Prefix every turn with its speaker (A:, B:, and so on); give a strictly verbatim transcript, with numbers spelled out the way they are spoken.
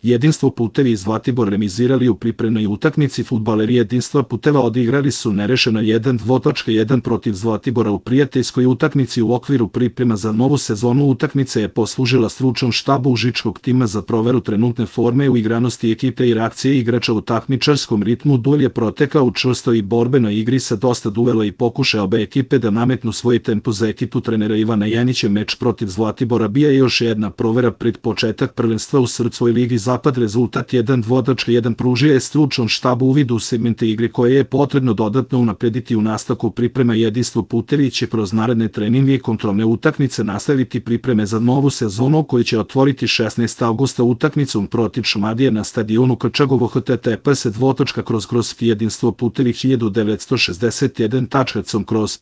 A: Jedinstvo putevi iz Zlatibor remizirali u pripremnoj utakmici. Fudbaleri Jedinstva puteva odigrali su nerešeno jedan jedan protiv Zlatibora u prijateljskoj utakmici u okviru priprema za novu sezonu. Utakmica je poslužila stručnom štabu užičkog tima za proveru trenutne forme, uigranosti ekipe i reakcije igrača u takmičarskom ritmu. Duel je protekao u čvrstoj i borbenoj igri sa dosta duela i pokušaja obe ekipe da nametnu svoj tempo. Za ekipu trenera Ivana Janjića meč protiv Zlatibora bija je još jedna provera pred početak prvenstva u srpskoj ligi Zapad. Rezultat jedan jedan pružio je stručnom štabu uvid u segmente igre koje je potrebno dodatno unaprediti u nastavku priprema. Jedinstvo putevi će kroz naredne treninge i kontrolne utakmice nastaviti pripreme za novu sezonu koju će otvoriti šesnaestog avgusta utakmicom protiv Šumadije na stadionu Krčagovo. H T T P S dvotočka kroz kroz Jedinstvo putevi hiljadu devetsto šezdeset jedan tačka com kroz